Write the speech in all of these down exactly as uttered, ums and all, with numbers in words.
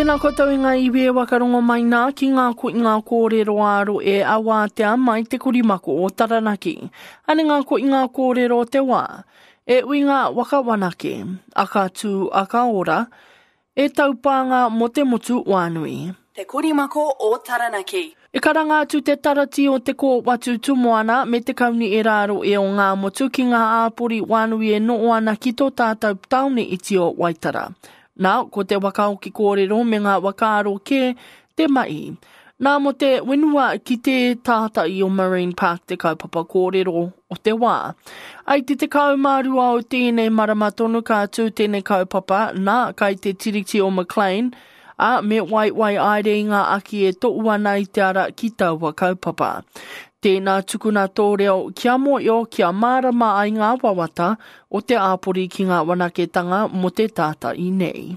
Tēnā koutou e ngā iwi e wakarongo mai nā ki ngā koinga kōrero āro e awātea mai te korimako o Taranaki. Ane ngā koinga kōrero o te wā. E uinga waka wanake, aka tū, aka ora, e taupānga mō te motu wānui. Te Korimako o Taranaki. E karanga atu te tarati o te kōwatu tumoana me te kauni e rāro e o ngā motu ki ngā āpori wānui e noo ana ki tō tātou taone iti o Waitara. Nā, ko te wakaoki kōrero me ngā wakaaro kē te mai. Nā mo te wenua ki te tātai o Marine Park te kaupapa kōrero o te wā. Ai te te kaumārua o tēnei marama tonu ka tū tēnei kaupapa, nā, kai te tiriti o McLean, a me wai wai aere i ngā aki e to'u ana i te ara ki taua kaupapa. Tēnā tukuna tō reo kia moio, kia mārama ai ngā wawata o te āpori ki ngā wanaketanga mo te tātai nei.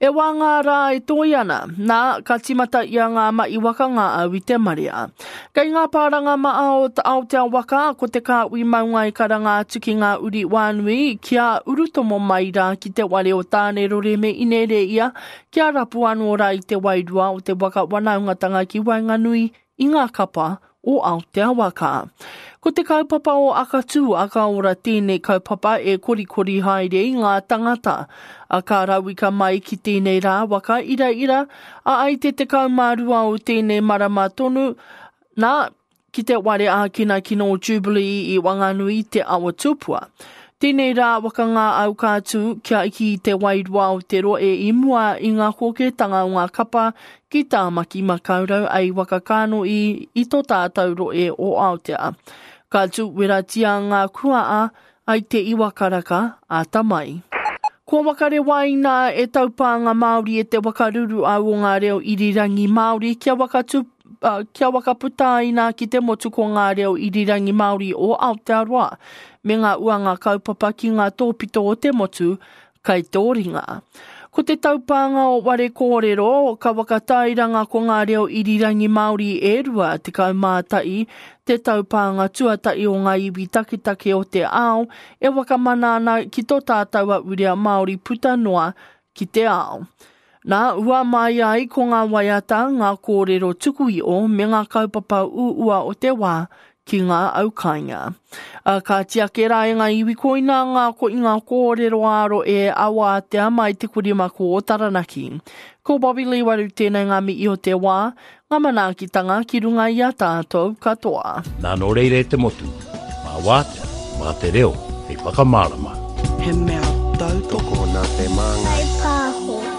E wā ngā rā e toi ana, nā, ka timata ia ngā mai waka ngā au i te marea. Kei ngā pāranga maa o Aotea waka, ko te kāwi maunga i karanga atu ki ngā uri wānui, kia urutomo mai rā ki te ware o Tānerore me Inere ia, kia rapu anō rā i te wairua o te waka wanaungatanga ki waenganui i ngā kapa o Aotea waka. Ko te kaupapa o Akatū, Akaora tēnei kaupapa e korikori haere i ngā tangata. A ka rauika mai ki tēnei rā waka ira ira, a ai te te kaumārua o tēnei marama tonu, nā, ki te ware ākina kino Jubilee i Wanganui te awa tupua. Tēnei rā waka ngā au ka tū kia iki i te wairua o te roe i mua i ngā kōketanga o ngā kapa ki Tāmaki Makaurau ai waka kāno i, i tō tātou roe o Aotea. Ka tū weratia ngā kuaa ai te iwa karaka a tamai. Kua wakare waina e taupānga Māori e te wakaruru au o ngā reo irirangi Māori kia wakatu Uh, kia wakaputa ki te motu ko ngā reo irirangi Māori o Aotearoa me ngā uanga kaupapa ki ngā tōpito o te motu kai tō ringa. Ko te taupānga o ware kōrero, ka wakatairanga ko ngā reo irirangi Māori e rua te kaumātai, te taupānga tuatai o ngā iwi taketake o te ao, e wakamana ana ki tō tātou a urea Māori puta noa ki te ao. Nā, ua mai ai ko ngā waiata, ngā kōrero tuku i o me ngā kaupapa uua o te wā ki ngā aukainga. A, ka tiake rā e ngā iwi koina ngā ko i ngā kōrero aro e awātea mai te kurimako o Taranaki. Ko Bobby Lee Waru tēnei ngā mihi o te wā, ngā manaakitanga ki runga i a tātou katoa. Nā nō reire te motu, mā wātea, mā te reo, hei whakamārama. He mea tautoko Tokona te māngai. Pāho.